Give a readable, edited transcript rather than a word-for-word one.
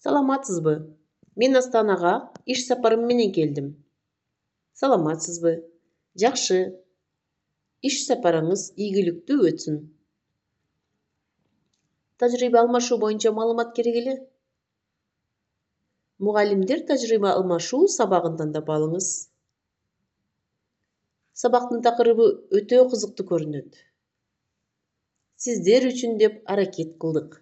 Саламатсызбы? Мен Астанага иш сапарым менен келдим. Саламатсызбы? Жакшы. Иш сапарыңыз ийгиликтүү өтсүн. Тажрыйба алмашуу боюнча маалымат керек эле. Мугалимдер тажрыйба алмашуу сабагын тандап алыңыз. Сабактын такырыбы өтө кызыктуу көрүнөт. Сиздер үчүн деп аракет кылдык.